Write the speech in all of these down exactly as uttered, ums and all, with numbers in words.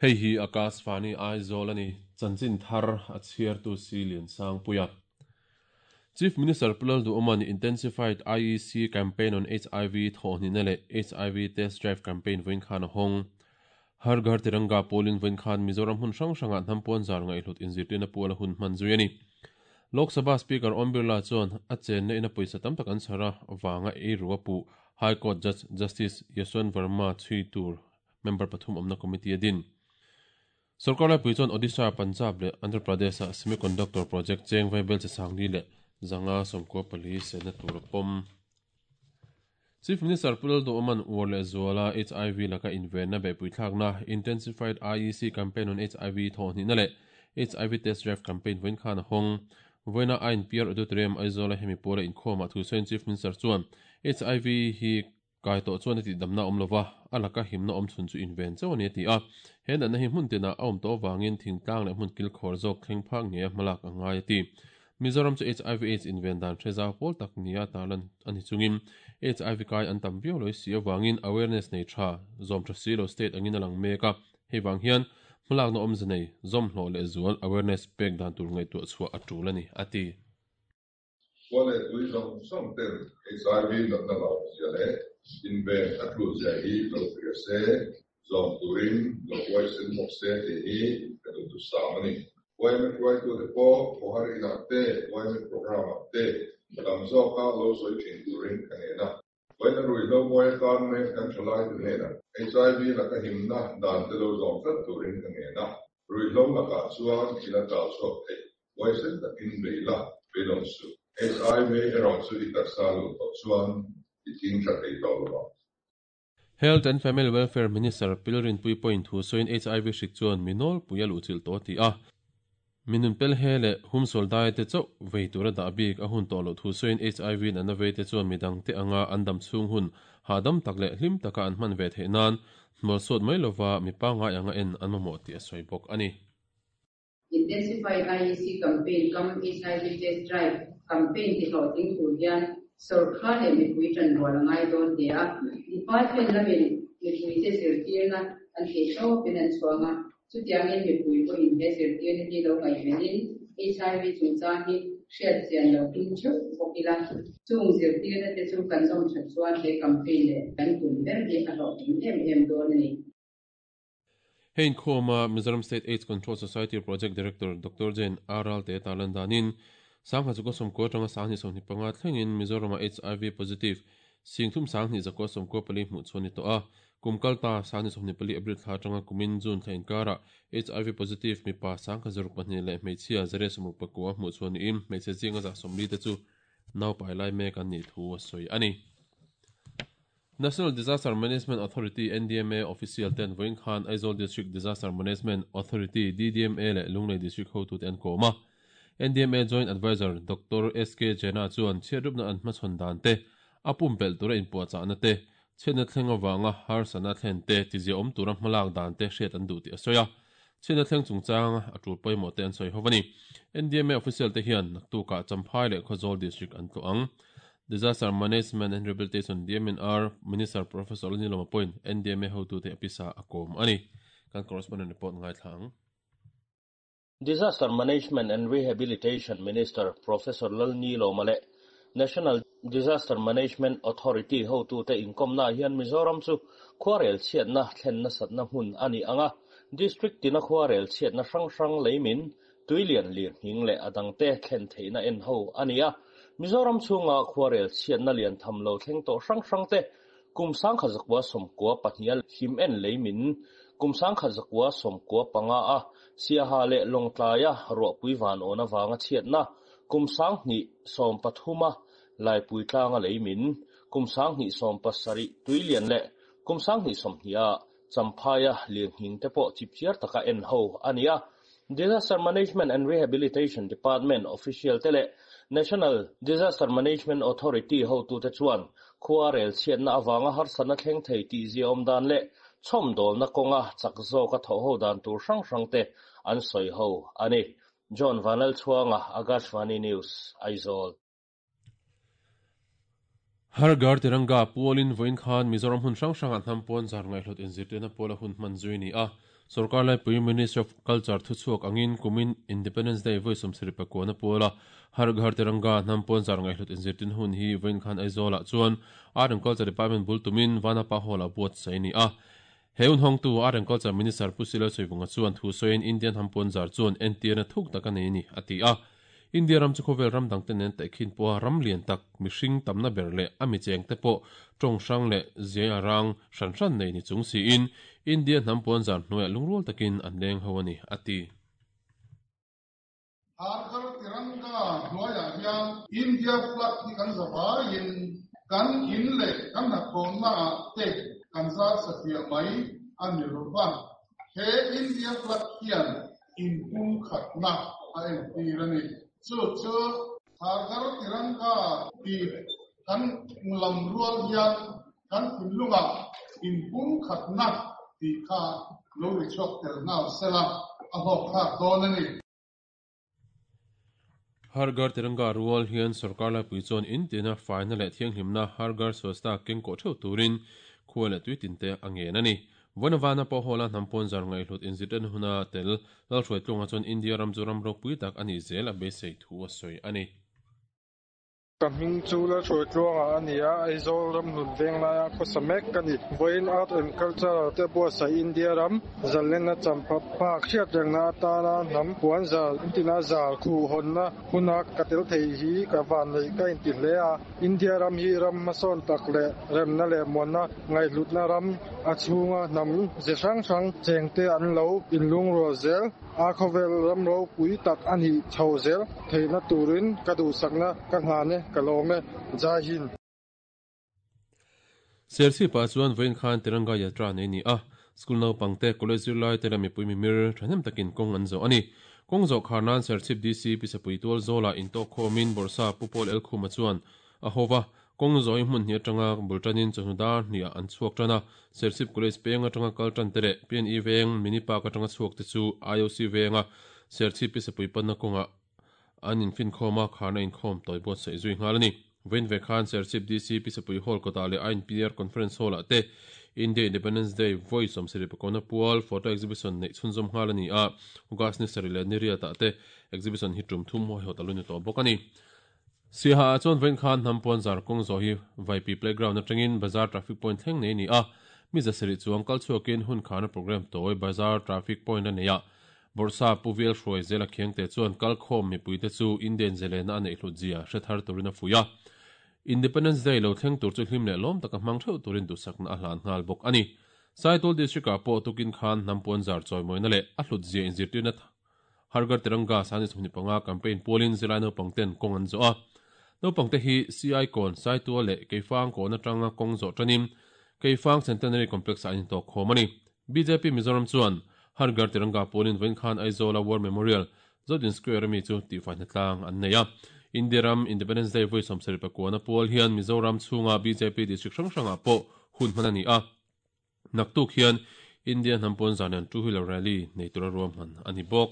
Hei hi Akashvani Aizawl a ni, chanchin thar a chhiartu si Liansangpuia. Chief Minister Pu Lalduhoma'n Intensified I E C Campaign on H I V thawhnihna leh H I V Test Drive Campaign vawiin khan a hawng. Har Ghar Tiranga pawlin vawiin khan Mizoram hmun hrang hrangah hnam puan zar ngaihhlut inzirtirna puala hun hman zui a ni. Lok Sabha Speaker Om Birla chuan a chenna ina pawisa tam tak an chhar a vanga ei ru a puh High Court Judge Justice Yashwant Verma chhui tur member pathum awmna committee a din. Sarkar laipui chuan Odisha, Punjab leh Andhra Pradesh ah semiconductor project cheng vaibelchhe sangli leh zanga sawmkua pali sena tur a pawm. Chief Minister Pu Lalduhoma'n uar leh zuala H I V laka invenna beihpui thlakna Intensified I E C Campaign on H I V thawhnihna leh H I V Test Drive Campaign vawiin khan a hawng. Vawiina I N P R Auditorium Aizawl a hemi puala inkhawmah thusawiin Chief Minister chuan H I V hi kai tawh chuan a tihdamna awm lova, a laka himna awm chhun chu inven chauh a ni a ti a. He natna hi hmun tinah a awm tawh avangin thingtlang leh hmun kilkhawr zawk thleng phak nge a hmalak a ngai a ti. Mizoram chu H I V AIDS inven dan hre zau pawl tak nia tarlan a ni chungin H I V kai an tam viau loi si avangin awareness nei tha zawm tha si lo state angin a lang mek a. Hei vang hian hmalakna awmze nei zawm hlawh leh zual awareness pek dan tur ngaihtuah chhuah a tul a ni a ti. Wale tui zawng zawng ten H I V natna lo zia leh inven a tul zia hi lo hria se, zawm turin lo huaisen bawk se tih hi ka duh tu sam a ni. Y M A hruaitute pawh khawhar inah te, Y M A program ah te tam zawka lo sawi thin turin ka ngen a. Vawiina ruihhlo mawi atan mek kan thalai te hnenah H I V laka himna dan te lo zawm tlat turin ka ngen a. Ruihhlo lakah chuan ila tal chhuak thei, huaisen takin bei la, beidawng suh. H I V erawh chu i taksa luh tawh chuan i thing tha thei tawh lo ang. Health and Family Welfare Minister Pi Lalrinpuii pawhin thu sawiin H I V hrik chuan mi nawlpui a luh chilh tawh a ti a. Minun pel he leh humsual dai te chauh vei tura dah bik a hun tawh loh thu sawiin H I V natna vei te chuan midang te anga an dam chhung hun hahdam tak leh hlim taka an hman ve theih nan hnual suat mai lova mi pangngai anga en an mamawh tih a sawi bawk a ni. Intensified I E C Campaign cum H I V Test Drive Campaign ti hlawhtling tur hian sorkar leh mipui tan rual a ngai dawn hle a. Department lamin mipui te zirtirna an thei tawpin an chhuang a, chutiangin mipui pawhin he zirtirna hi lo ngaihvenin H I V chungchang hi hriat chian lo tum theuh bawk ila, chung zirtirna te chu kan zawm that chuan he campaign leh kan tum ber hi a hlawhtling em em dawn a ni. Hein khawma Mizoram State AIDS Control Society Project Director Doctor Jane Aral te tarlan danin sangha chu ko somko atanga sangni sawmhnih panga thlengin Mizorama H I V positive singthum sangni zakua sawmkua pali hmuh chuan ni tawh a. Kum kalta sangni sawmhnih pali April thla atanga kumin June thla inkara H I V positive mipa sangkhat zaruk pahnih leh hmeichhia zariat sawmruk pakua hmuh chuan niin hmeichhe zinga za sawmli te chu naupai lai mek an nih thu a sawi a ni. National Disaster Management Authority N D M A official ten vawiin khan Aizawl District Disaster Management Authority D D M A leh Lunglei District hotu te an kawm a. N D M A Joint Advisor Doctor S K Jena chuan chhiatrupna an hmachhawn dan te, a pumpelh tura inpuahchahna te, chhiatna thleng awanga harsatna thlen te tizia awm tura hmalak dan te hriat an duh tih a sawi a. Chhiatna thleng chungchang a tul pawimawh te an sawi ho a ni. N D M A official te hian naktukah Champhai leh Khawzawl District an tlawh ang. Disaster Management and Rehabilitation D M N R Minister Professor Lalnilawma pawhin N D M A hotu te a pisa a kawm a ni. Kan correspondent report ngai thla ang. Disaster Management and Rehabilitation Minister Professor Lalnilawma leh National Disaster Management Authority hotu te inkawmna hian Mizoram chu khuarel chhiatna thlenna satna hmun ani anga, district tina khuarel chhiatna hrang hrang leimin, tuilian, lirnghing leh adang te thlen theihna en ho ani a. Mizoram chhunga khuarel chhiatna lian tham lo thleng tawh hrang hrang te, kum sangkhat zakua sawmkua pahnih him en leimin, kum sangkhat zakua sawmkua panga a Siaha leh Lawngtlai a ruahpui van awn awanga chhiatna, kum sanghnih sawm pathuma Laipui tlanga leimin, kum sanghnih sawm pasarih tuilian leh kum sanghnih sawmhnih a Champhaia lirnghing te pawh chipchiar taka en ho ani a. Disaster Management and Rehabilitation Department official te leh National Disaster Management Authority hotu te chuan khuarel chhiatna awanga harsatna thleng thei tih zia awm dan leh chhawm dawlna kawnga chak zawka tho ho dan tur hrang hrang te an sawi ho ani. John Vanal Chuanga, Akashvani News, Aizawl. Har Ghar Tiranga pualin vawiin khan Mizoram hmun hrang hrangah hnam puan zar ngaihhlut inzirtirna puala hun hman zui ni a. Sarkar laipui Ministry of Culture thuchhuak angin kumin Independence Day voi sawmsarih pakua na puala Har Ghar Tiranga hnam pawn zar ngaihhlut inzirtin hun hi vawiin khan Aizawl ah chuan Art and Culture Department bul tumin Vanapa Hall ah buatsaih a ni a. He hun hawngtu Art and Culture Minister Pu Silo Sawivunga chuan thu sawiin Indian hnam pawn zar chuan entirna thuk tak a nei a ni a ti a. India ram chu khawvel ram dangte nen taihkhin pawha ram lian tak, mihring tamna ber leh a mi chengte pawh tawng hrang leh ziai a rang hran hran nei ni chung siin India hnam pawn zar hnuaiah lungrual takin an leng ho a ni, a ti. Har Ghar Tiranga hnuaiah hian India flag hi kan za vaiin kan in leh kan hnathawhnaah te kan zar satliah mai a ni lo va. He India flag hian inpumkhatna a entir a ni. Chu chu Har Ghar Tiranga tih kan lam rual hian kan thinlungah inpumkhatna tih kha lo ri chhuak tel nghal sela a hlawkthlak dawn a ni. Har Ghar Tiranga rual hian sorkar laipui chuan intina faina leh thianghlimna Har Ghar Swachhta keng kawh theuh turin khua leh tui tinte a ngen a ni. Vawnavana pawh hawla hnam pawn zar ngaihhlut inzirtirna huna tel Lalhruai tlunga chuan India ram chu ram ropui tak a nih zel a beisei thu a sawi a ni. Ka hming chu Lalhruai tluanga a ni a, Aizawl ram hlun veng laia khawsa mek ka ni. Vawiin Art and Culture te buatsaih India ram zalena champha phak hriat rengna atana hnam puan zal intina zal khuh hawnna huna ka tel thei hi ka van neih ka inti hle a. India ram hi ram hmasawn tak leh remna leh muanna ngaihhlutna ram a chhunga hnam ze hrang hrang chengte an lo inlungrual zel a, khawvel ram ropui tak a nih chho zel theihna turin ka duhsakna ka hlan e, ka lawm e, Jai Hind. Serchhip ah chuan vawiin khan Tiranga Yatra nei ni a, school naupangte, college zirlai te leh mipui mimir thahnem takin kawng an zawh a ni. Kawng zawh khar nan Serchhip D C Pisapui tual zawlah intawk khawmin Bawrhsa Pu Paul Elkhuma chuan a ho va, kawng zawh hi hmun hnih atanga bul tanin chawhnu dar hniah an chhuak tan a, Serchhip College peng atanga kal tan te leh P N E veng Mini Park atanga chhuak te chu I O C venga Serchhip Pisapui panna kawngah an infinkhawm a, kharna inkhawm tawi buatsaih zui nghal a ni. Vawiin ve khan Serchhip D C Pisapui Hall kawtah leh I N P R Conference Hall ah te India Independence Day vawi sawmsarih pakawna pual photo exhibition neih chhunzawm nghal a ni a, August ni sarih leh ni riat ah te exhibition hi tum thum huaihawt a lu ni tawh bawk a ni. Siaha ah chuan vawiin khan hnam puan zar kawng zawh hi Vaipi Playground atangin Bazar Traffic Point thleng nei a ni a, mi zasarih chuang kal chhuakin hun kharna program tawi Bazar Traffic Point a nei a, Bawrhsa Pu Vial Hruai Zela Khiangte chuan kalkhawm mipuite chu Indian zelena a neih hlut zia hre thar turin a fuih a. Independence Day lo thleng tur chu hlim leh lawm taka hmang theuh turin duhsakna a hlan nghal bawk a ni. Saitul District ah pawh tukin khan hnam puan zar chawimawina leh a hlut zia inzirtirna Har Ghar Tiranga Sani Sawmhnih panga campaign pualin zirlai naupangten kawng an zawh a. Naupangte hi C I kawn Saitua leh Keifang kawn atanga kawng zawh tanin Keifang Centenary Complex ah an intawk khawm a ni. B J P Mizoram chuan Har Ghar Tiranga pualin vawiin khan Aizawla War Memorial Zodin Square ami chu tihfaihna tlang an nei a. India ram Independence Day vawi sawmsarih pakuana pual hian Mizoram chhunga B J P district hrang hrangah pawh hun hman a ni a. Naktuk hian India hnam pawn zan an two-wheeler rally nei tura ruahman a ni bawk.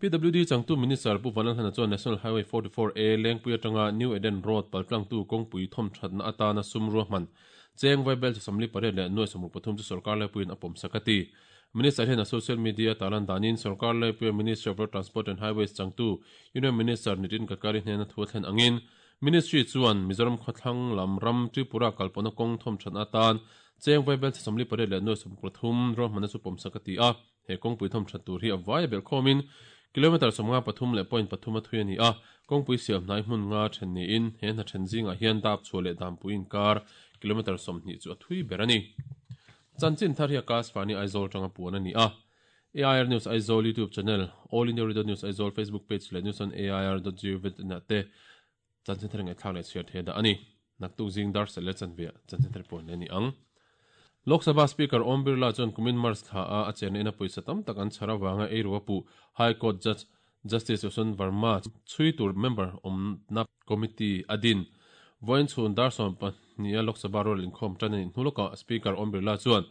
P W D changtu Minister Pu Vanlalhlana chuan National Highway forty-four A Lengpui atanga New Eden Road paltlangtu kawngpui thawmthatna atana sum ruahman cheng vaibel chasamli pariat leh nuai sawmruk pathum chu sarkar laipuiin a pawm sak a ti. Minister hian a social media talan danin sarkar laipuia Ministry of Road Transport and Highways changtu Union Minister Nitin Gadkari hnena thu a thlen angin Ministry chuan Mizoram khawthlang lam ram Tripura kalpawhna kawng thawmthatna atan cheng vaibel chasamli pariat leh nuai sawmruk pathum ruahmanna chu pawm sak a ti a. He kawngpui thawmthat tur hi a vai a belh khawmin kilometer sawmnga pathum leh point pathum a thui a ni a, kawngpui siam hnai hmun nga then niin he hna then zingah hian dap chhuah leh dampui inkar kilometer sawmhnih chu a thui ber a ni. Chanchin thar hi a Akashvani Aizawl tanga puan a ni a. A I R News Aizawl YouTube channel, All India Radio News Aizawl Facebook page leh news on A I R dot gov dot in ah te chanchin thar ngaihthlak leh chhiar thei dah a ni. Naktuk zing dar sel leh chanve ah chanchin thar puan leh a ni ang. Lok Sabha Speaker Om Birla chuan kumin March thla a a chenna ina pawisa tam tak an chhar avanga ei ru a puh High Court Judge Justice Yashwant Verma chhui tur member awmna committee a din. Vawiin chhun dar sawm pahnih a Lok Sabha rual inkhawm tan a nih hnu lawkah Speaker Om Birla chuan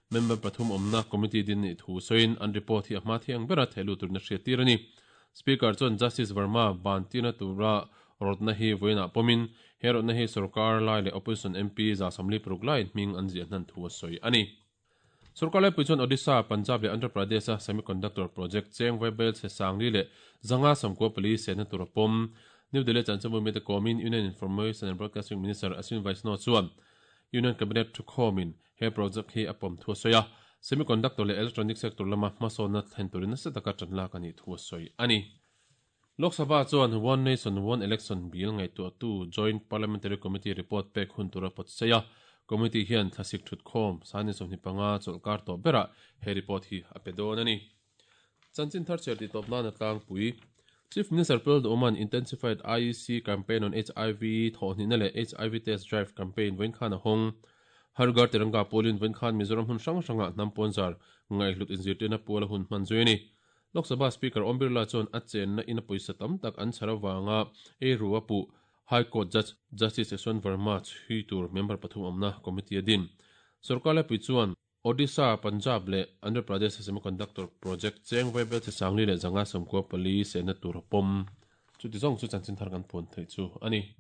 member pathum awmna committee din nih thu sawiin an report hi a hma thiang bera thehlu turin a hriat tir a ni. Speaker chuan Justice Verma ban tirna tura rawtna hi vawiinah pawmin he rawtna hi sarkar lai leh opposition M P za samli paruk laiin hming an ziah hnan thu a sawi a ni. Sarkar lai pui chuan Odisha, Punjab leh Andhra Pradesh a semiconductor project cheng vaibel chhe sangli leh zanga sawmkua pali sehna tur a pawm. New Delhi chanchinbu mite kawmin Union Information and Broadcasting Minister Ashwin Vaishnaw chuan Union Cabinet thukhawmin he project hi a pawm thu a sawi a, semiconductor leh electronic sector lama hmasawnna thlen turin nasa taka tan lak a nih thu a sawi a ni. Lok Sabha chuan One Nation One Election Bill ngaihtuahtu Joint Parliamentary Committee report pek hun tura pawt sawi a, committee hian thlasik thutkhawm sani sawmhnih panga chawlhkar tawh berah he report hi a pe dawn a ni. Chanchin thar chhiar tih tawp nan a tlangpui. Chief Minister Pu Duhawma'n Intensified I E C Campaign on H I V thawhhnihna leh H I V Test Drive Campaign vawiin khan a hawng. Har Ghar Tiranga pawlin vawiin khan Mizoram hun hrang hrangah hnam pawnzar ngaihhlut inzirtirna pual a hun hman zui a ni. Lok Sabha Speaker Om Birla chuan a chenna in a pawisa tam tak an chhar avanga ei ru a puh. High Court Judge Justice Yashwant Verma chhui tur member pathum awmna committee a din. Sorkar laipui chuan Odisha, Punjab leh Andhra Pradesh semiconductor project cheng vaibel che sangli leh zanga sawmkua pali sehna tur a pawm. Chuti zawng chu chanchin thar kan puan theih chu a ni.